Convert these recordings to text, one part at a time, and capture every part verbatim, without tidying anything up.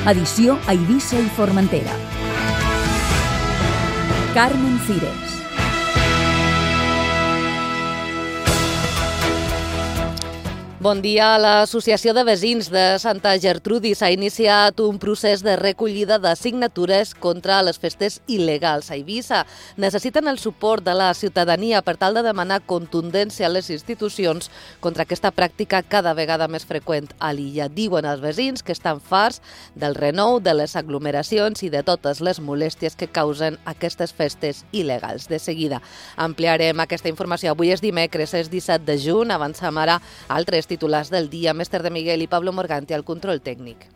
Edició a Eivissa i Formentera. Carmen Cires. Bon dia. L'Associació de Veïns de Santa Gertrudis ha iniciat un procés de recollida de signatures contra les festes il·legals a Eivissa. Necessiten el suport de la ciutadania per tal de demanar contundència a les institucions contra aquesta pràctica cada vegada més freqüent a l'illa. Diuen els veïns que estan farts del renou, de les aglomeracions i de totes les molèsties que causen aquestes festes il·legals. De seguida ampliarem aquesta informació. Avui és dimecres, és disset de juny. Avancem ara a altres titulars del dia. Mestre de Miguel i Pablo Morganti al control tècnic.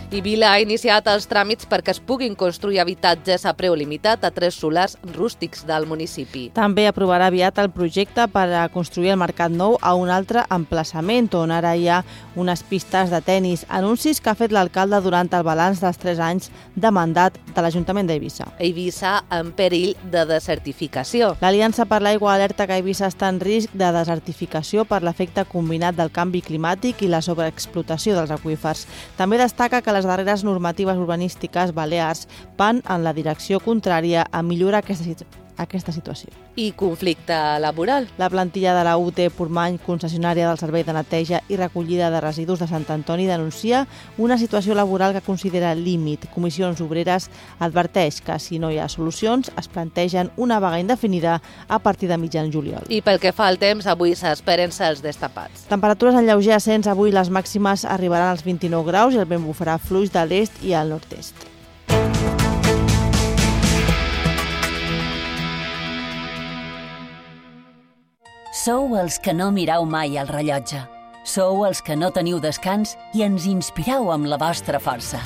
I Vila ha iniciat els tràmits perquè es puguin construir habitatges a preu limitat a tres solars rústics del municipi. També aprovarà aviat el projecte per a construir el Mercat Nou a un altre emplaçament, on ara hi ha unes pistes de tennis. Anuncis que ha fet l'alcalde durant el balanç dels tres anys de mandat de l'Ajuntament d'Eivissa. Eivissa en perill de desertificació. L'Aliança per l'Aigua alerta que Eivissa està en risc de desertificació per l'efecte combinat del canvi climàtic i la sobreexplotació dels aqüífers. També destaca que les darreres normatives urbanístiques balears van en la direcció contrària a millorar aquesta, aquesta situació. I conflicte laboral. La plantilla de la U T Portmany, concessionària del Servei de Neteja i Recollida de Residus de Sant Antoni, denuncia una situació laboral que considera límit. Comissions Obreres adverteix que si no hi ha solucions es plantegen una vaga indefinida a partir de mitjan juliol. I pel que fa al temps, avui s'esperen cels destapats. Temperatures en lleuger ascens. Avui les màximes arribaran als vint-i-nou graus i el vent bufarà fluix de l'est i al nord-est. Sou els que no mirau mai el rellotge. Sou els que no teniu descans i ens inspirau amb la vostra força.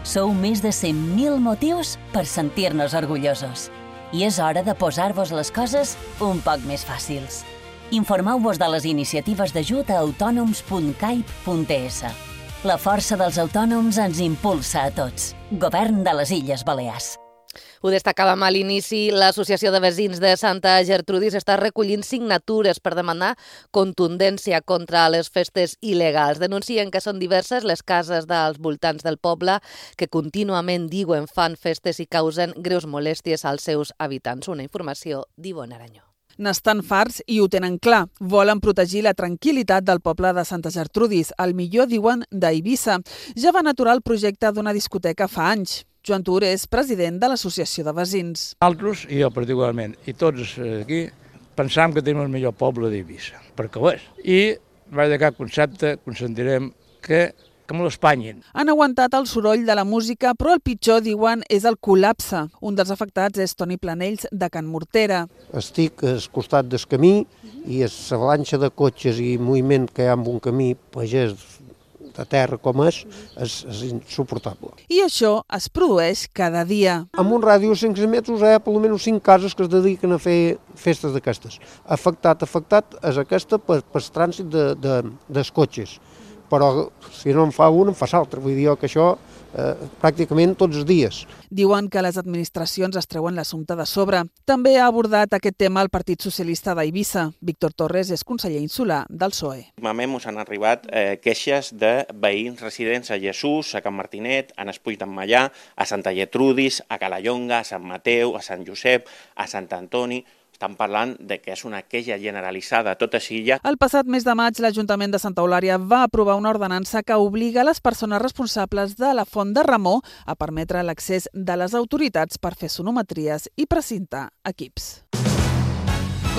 Sou més de cent mil motius per sentir-nos orgullosos. I és hora de posar-vos les coses un poc més fàcils. Informeu-vos de les iniciatives d'ajut a autònoms punt caip punt es. La força dels autònoms ens impulsa a tots. Govern de les Illes Balears. Ho destacàvem a l'inici, l'Associació de Veïns de Santa Gertrudis està recollint signatures per demanar contundència contra les festes il·legals. Denuncien que són diverses les cases dels voltants del poble que contínuament diuen fan festes i causen greus molèsties als seus habitants. Una informació d'Ivonne Aranyó. N'estan farts i ho tenen clar. Volen protegir la tranquil·litat del poble de Santa Gertrudis, el millor, diuen, d'Eivissa. Ja van aturar el projecte d'una discoteca fa anys. Joan Tur és president de l'Associació de Veïns. Altres, i jo particularment, i tots aquí, pensam que tenim el millor poble d'Eivissa, perquè ho és. I, mai de cap concepte, consentirem que que me l'espanyin. Han aguantat el soroll de la música, però el pitjor, diuen, és el col·lapse. Un dels afectats és Toni Planells, de Can Mortera. Estic al costat del camí i l'avalanxa de cotxes i moviment que hi ha en un camí pagès de terra com és, és, és insuportable. I això es produeix cada dia. En un ràdio de cinc cents metres hi ha per almenys cinc cases que es dediquen a fer festes d'aquestes. Afectat, afectat és aquesta per, per trànsit de, de, dels cotxes. Però si no en fa un, en fa l'altre. Vull dir que això eh, pràcticament tots els dies. Diuen que les administracions es treuen l'assumpte de sobre. També ha abordat aquest tema el Partit Socialista d'Eivissa. Víctor Torres és conseller insular del P S O E. Últimament ens han arribat eh, queixes de veïns residents a Jesús, a Can Martinet, a Nespuit en Mallà, a Santa Gertrudis, a Calallonga, a Sant Mateu, a Sant Josep, a Sant Antoni. Estan parlant de que és una queixa generalitzada a tota l'illa. El passat mes de maig, l'Ajuntament de Santa Eulària va aprovar una ordenança que obliga les persones responsables de la Font de Ramó a permetre l'accés de les autoritats per fer sonometries i precintar equips.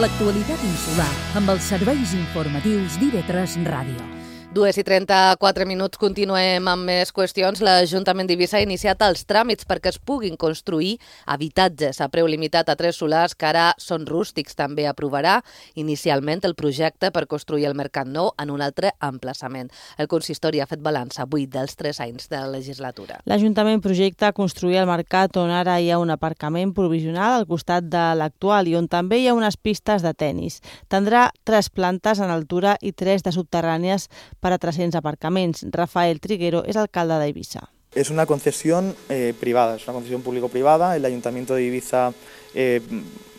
L'actualitat insular amb els serveis informatius d'I V tres Ràdio. dues i trenta-quatre minuts, continuem amb més qüestions. L'Ajuntament d'Eivissa ha iniciat els tràmits perquè es puguin construir habitatges a preu limitat a tres solars que ara són rústics. També aprovarà inicialment el projecte per construir el Mercat Nou en un altre emplaçament. El consistori ha fet balanç avui dels tres anys de la legislatura. L'Ajuntament projecta construir el mercat on ara hi ha un aparcament provisional al costat de l'actual i on també hi ha unes pistes de tennis. Tindrà tres plantes en altura i tres de subterrànies per a tres-cents aparcaments. Rafael Triguero és alcalde d'Eivissa. Es una concesión eh, privada, es una concesión público-privada. El Ayuntamiento de Ibiza eh,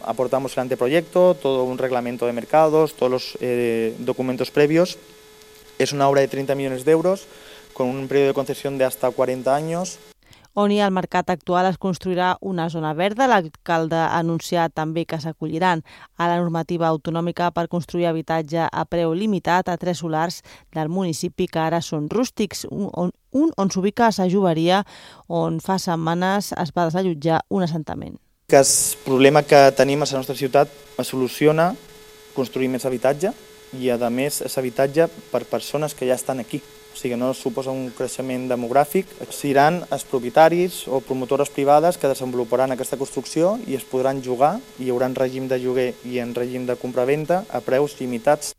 aportamos el anteproyecto, todo un reglamento de mercados, todos los eh, documentos previos Es una obra de treinta millones de euros, con un periodo de concesión de hasta cuarenta años. On hi ha el mercat actual es construirà una zona verda. L'alcalde ha anunciat també que s'acolliran a la normativa autonòmica per construir habitatge a preu limitat a tres solars del municipi que ara són rústics, un on, un on s'ubica a Sa Joveria, on fa setmanes es va desallotjar un assentament. Que el problema que tenim a la nostra ciutat es soluciona construir més habitatge i, a més, és habitatge per persones que ja estan aquí. O sigui, no suposa un creixement demogràfic. Seran els propietaris o promotores privades que desenvoluparan aquesta construcció i es podran jugar, i hi haurà règim de lloguer i en règim de compra-venda a preus limitats.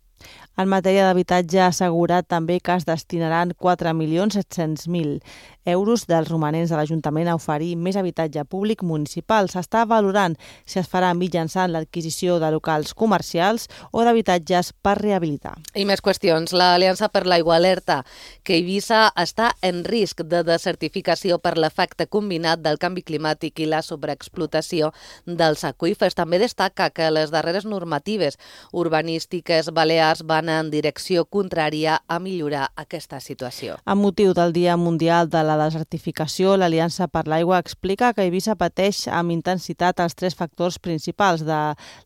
En matèria d'habitatge ha assegurat també que es destinaran quatre milions set-cents mil euros dels romanents de l'Ajuntament a oferir més habitatge públic municipal. S'està valorant si es farà mitjançant l'adquisició de locals comercials o d'habitatges per rehabilitar. I més qüestions. L'Aliança per l'Aigua alerta que Eivissa està en risc de desertificació per l'efecte combinat del canvi climàtic i la sobreexplotació dels aqüífers. També destaca que les darreres normatives urbanístiques balears van en direcció contrària a millorar aquesta situació. Amb motiu del Dia Mundial de la Desertificació, l'Aliança per l'Aigua explica que Eivissa pateix amb intensitat els tres factors principals de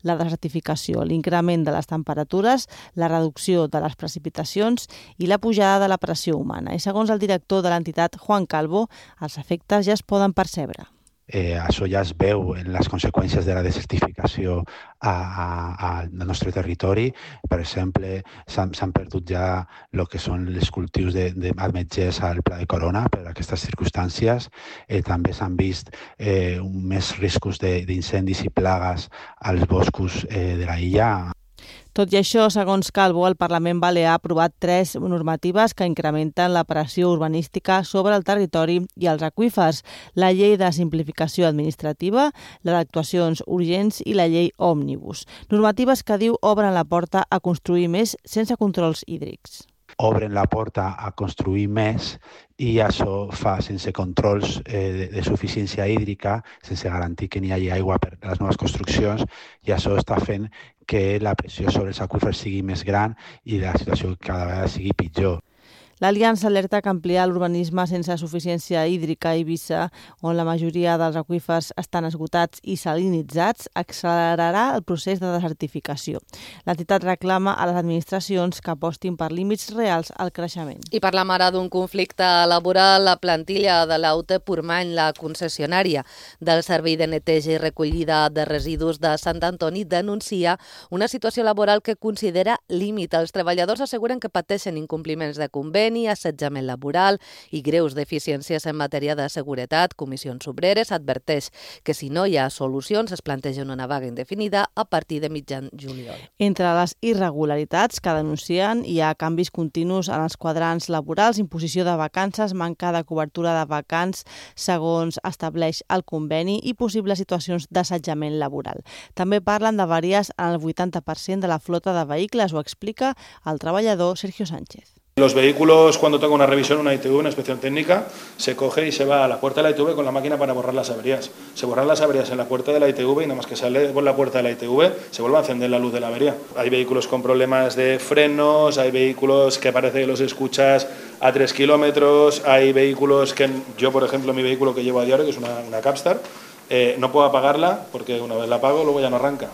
la desertificació: l'increment de les temperatures, la reducció de les precipitacions i la pujada de la pressió humana. I segons el director de l'entitat, Juan Calvo, els efectes ja es poden percebre. Eh, això ja es veu en les conseqüències de la desertificació a, a, al nostre territori. Per exemple, s'han perdut ja el que són els cultius d'ametllers al Pla de Corona per aquestes circumstàncies. Eh, també s'han vist eh, més riscos d'incendis i plagues als boscos eh, de la illa. Tot i això, segons Calvo, el Parlament Balear ha aprovat tres normatives que incrementen la pressió urbanística sobre el territori i els aqüífers: la llei de simplificació administrativa, la d'actuacions urgents i la llei òmnibus. Normatives que, diu, obren la porta a construir més sense controls hídrics. Obren la porta a construir més i això fa sense controls eh, de, de suficiència hídrica, sense garantir que n'hi hagi aigua per a les noves construccions, i això està fent que la pressió sobre els aqüífers sigui més gran i la situació cada vegada sigui pitjor. L'Aliança alerta que ampliar l'urbanisme sense suficiència hídrica a Eivissa, on la majoria dels aqüífers estan esgotats i salinitzats, accelerarà el procés de desertificació. L'entitat reclama a les administracions que apostin per límits reals al creixement. I parlam ara d'un conflicte laboral. La plantilla de l'A U T Portmany, la concessionària del Servei de Neteja i Recollida de Residus de Sant Antoni, denuncia una situació laboral que considera límit. Els treballadors asseguren que pateixen incompliments de conveni, assetjament laboral i greus deficiències en matèria de seguretat. Comissions Obreres adverteix que si no hi ha solucions es planteja una vaga indefinida a partir de mitjan juliol. Entre les irregularitats que denuncien hi ha canvis continus en els quadrants laborals, imposició de vacances, manca de cobertura de vacants segons estableix el conveni i possibles situacions d'assetjament laboral. També parlen d'avaries en el vuitanta per cent de la flota de vehicles, ho explica el treballador Sergio Sánchez. Los vehículos, cuando toca una revisión, una I T V, una inspección técnica, se coge y se va a la puerta de la I T V con la máquina para borrar las averías. Se borran las averías en la puerta de la I T V y nada más que sale por la puerta de la I T V se vuelve a encender la luz de la avería. Hay vehículos con problemas de frenos, hay vehículos que parece que los escuchas a tres kilómetros, hay vehículos que yo, por ejemplo, mi vehículo que llevo a diario, que es una, una Capstar, eh, no puedo apagarla porque una vez la apago luego ya no arranca.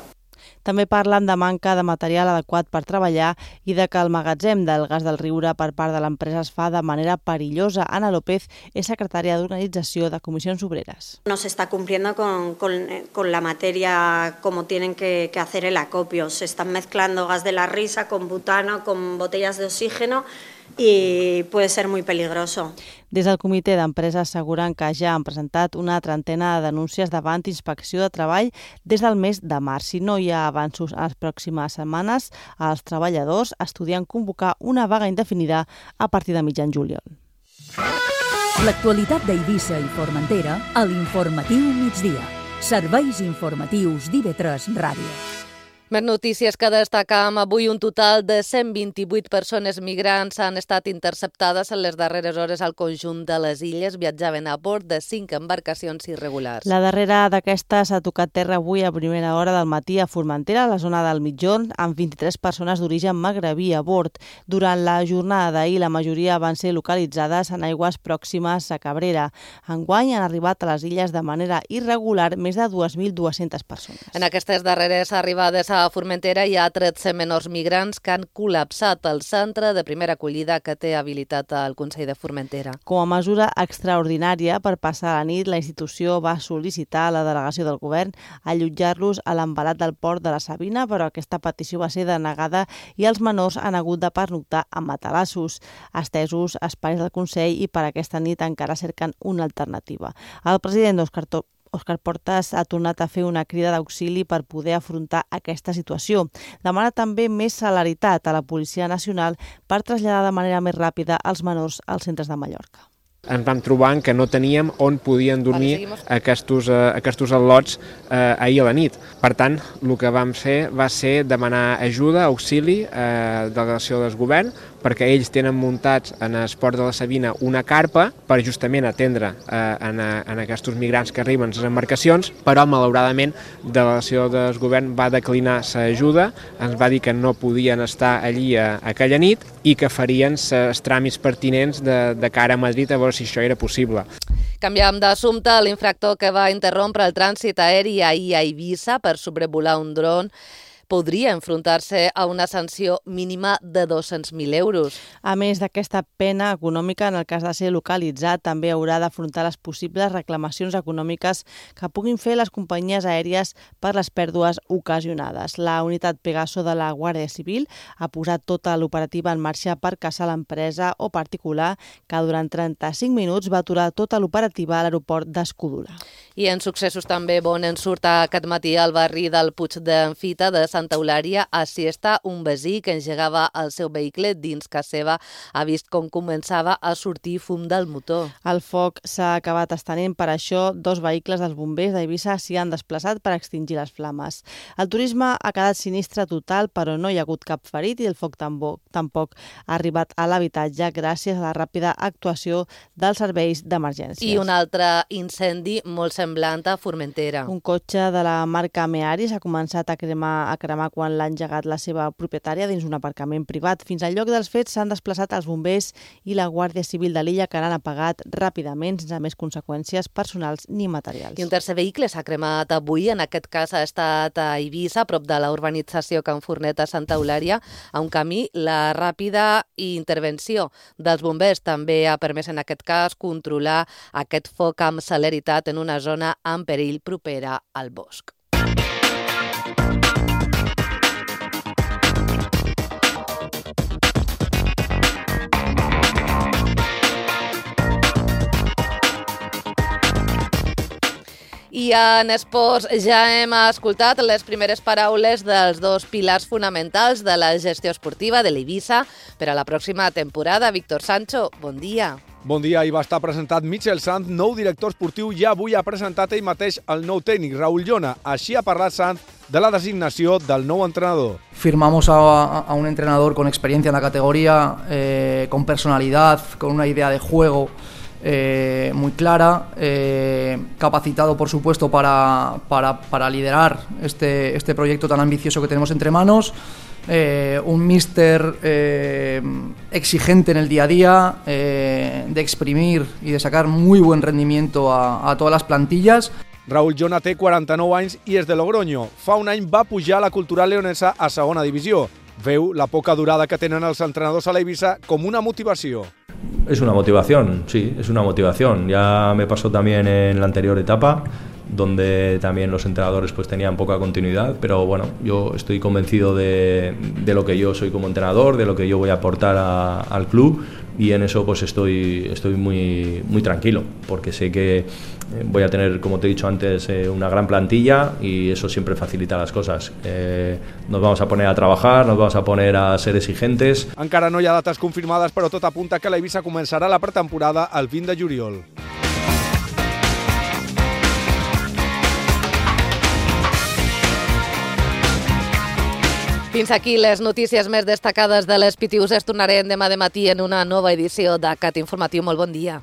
També parlen de manca de material adequat per treballar i de que el magatzem del gas del Riure per part de l'empresa es fa de manera perillosa. Ana López és secretària d'Organització de Comissions Obreres. No se está cumpliendo con, con, con la materia como tienen que, que hacer el acopio. Se están mezclando gas de la risa con butano, con botellas de oxígeno i puede ser muy peligroso. Des del comitè d'empresa asseguren que ja han presentat una trentena de denúncies davant Inspecció de Treball des del mes de març. Si no hi ha avanços en les pròximes setmanes, els treballadors estudien convocar una vaga indefinida a partir de mitjan juliol. L'actualitat d'Eivissa i Formentera a l'Informatiu Migdia. Serveis informatius d'I V tres Ràdio. Més notícies que destacam avui. Un total de cent vint-i-vuit persones migrants han estat interceptades en les darreres hores al conjunt de les illes. Viatjaven a bord de cinc embarcacions irregulars. La darrera d'aquestes ha tocat terra avui a primera hora del matí a Formentera, a la zona del Mitjorn, amb vint-i-tres persones d'origen magrebí a bord. Durant la jornada d'ahir, la majoria van ser localitzades en aigües pròximes a Cabrera. Enguany han arribat a les illes de manera irregular més de dues mil dues-centes persones. En aquestes darreres arribades a Formentera hi ha tretze menors migrants que han col·lapsat el centre de primera acollida que té habilitat al Consell de Formentera. Com a mesura extraordinària per passar la nit, la institució va sol·licitar a la delegació del govern allotjar-los a l'embalat del port de la Sabina, però aquesta petició va ser denegada i els menors han hagut de pernoctar a matalassos. Estesos espais del Consell i per aquesta nit encara cerquen una alternativa. El president Òscar Torra Òscar Portas ha tornat a fer una crida d'auxili per poder afrontar aquesta situació. Demana també més celeritat a la Policia Nacional per traslladar de manera més ràpida els menors als centres de Mallorca. Ens vam trobar que no teníem on podien dormir aquests, aquests al·lots eh, ahir a la nit. Per tant, el que vam fer va ser demanar ajuda, auxili, eh, delegació del govern, perquè ells tenen muntats en el port de la Sabina una carpa per justament atendre eh, en, en aquests migrants que arriben a les embarcacions, però malauradament la delegació del govern va declinar l'ajuda, ens va dir que no podien estar allí a, a aquella nit i que farien els tràmits pertinents de, de cara a Madrid a veure si això era possible. Canviam d'assumpte. L'infractor que va interrompre el trànsit aeri ahir a Eivissa per sobrevolar un dron podria enfrontar-se a una sanció mínima de dos-cents mil euros. A més d'aquesta pena econòmica, en el cas de ser localitzat, també haurà d'afrontar les possibles reclamacions econòmiques que puguin fer les companyies aèries per les pèrdues ocasionades. La unitat Pegaso de la Guàrdia Civil ha posat tota l'operativa en marxa per caçar l'empresa o particular que durant trenta-cinc minuts va aturar tota l'operativa a l'aeroport d'Escudula. I en successos també bon en surt aquest matí al barri del Puig d'en Fita de Santa Eulària. Així està un veí que engegava el seu vehicle dins casa seva. Ha vist com començava a sortir fum del motor. El foc s'ha acabat estenent, per això dos vehicles dels bombers d'Eivissa s'hi han desplaçat per extingir les flames. El turisme ha quedat sinistre total, però no hi ha hagut cap ferit i el foc tampoc, tampoc ha arribat a l'habitatge gràcies a la ràpida actuació dels serveis d'emergències. I un altre incendi molt semblant a Formentera. Un cotxe de la marca Mearis ha començat a cremar, a cremar quan l'ha engegat la seva propietària dins un aparcament privat. Fins al lloc dels fets s'han desplaçat els bombers i la Guàrdia Civil de l'illa, que l'han apagat ràpidament sense més conseqüències personals ni materials. I un tercer vehicle s'ha cremat avui. En aquest cas ha estat a Eivissa, a prop de la urbanització Can Fornet a Santa Eulària. A un camí, la ràpida intervenció dels bombers també ha permès en aquest cas controlar aquest foc amb celeritat en una zona en perill propera al bosc. I en esports ja hem escoltat les primeres paraules dels dos pilars fonamentals de la gestió esportiva de l'Eivissa per a la pròxima temporada. Víctor Sancho, bon dia. Bon dia. Ahir va estar presentat Michel Sanz, nou director esportiu, i avui ha presentat ell mateix el nou tècnic, Raúl Llona. Així ha parlat Sanz de la designació del nou entrenador. Firmamos a, a un entrenador con experiencia en la categoría, eh, con personalidad, con una idea de juego Eh, muy clara, eh, capacitado por supuesto para, para, para liderar este, este proyecto tan ambicioso que tenemos entre manos, eh, un míster eh, exigente en el día a día, eh, de exprimir y de sacar muy buen rendimiento a, a todas las plantillas. Raúl Llona té quaranta-nou anys i és de Logroño. Fa un any va pujar a la Cultural Leonesa a segona divisió. Veu la poca durada que tenen els entrenadors a l'Eivissa com una motivació. Es una motivación, sí, es una motivación. Ya me pasó también en la anterior etapa, donde también los entrenadores pues tenían poca continuidad, pero bueno, yo estoy convencido de, de lo que yo soy como entrenador, de lo que yo voy a aportar a, al club, y en eso pues estoy, estoy muy, muy tranquilo, porque sé que voy a tener, como te he dicho antes, eh, una gran plantilla y eso siempre facilita las cosas. Eh, nos vamos a poner a trabajar, nos vamos a poner a ser exigentes. Encara no hi ha dates confirmades, però tot apunta que l'Eivissa començarà la pretemporada el vint de juliol. Fins aquí les notícies més destacades de les Pitiuses. Tornarem demà de matí en una nova edició de Cat Informatiu. Molt bon dia.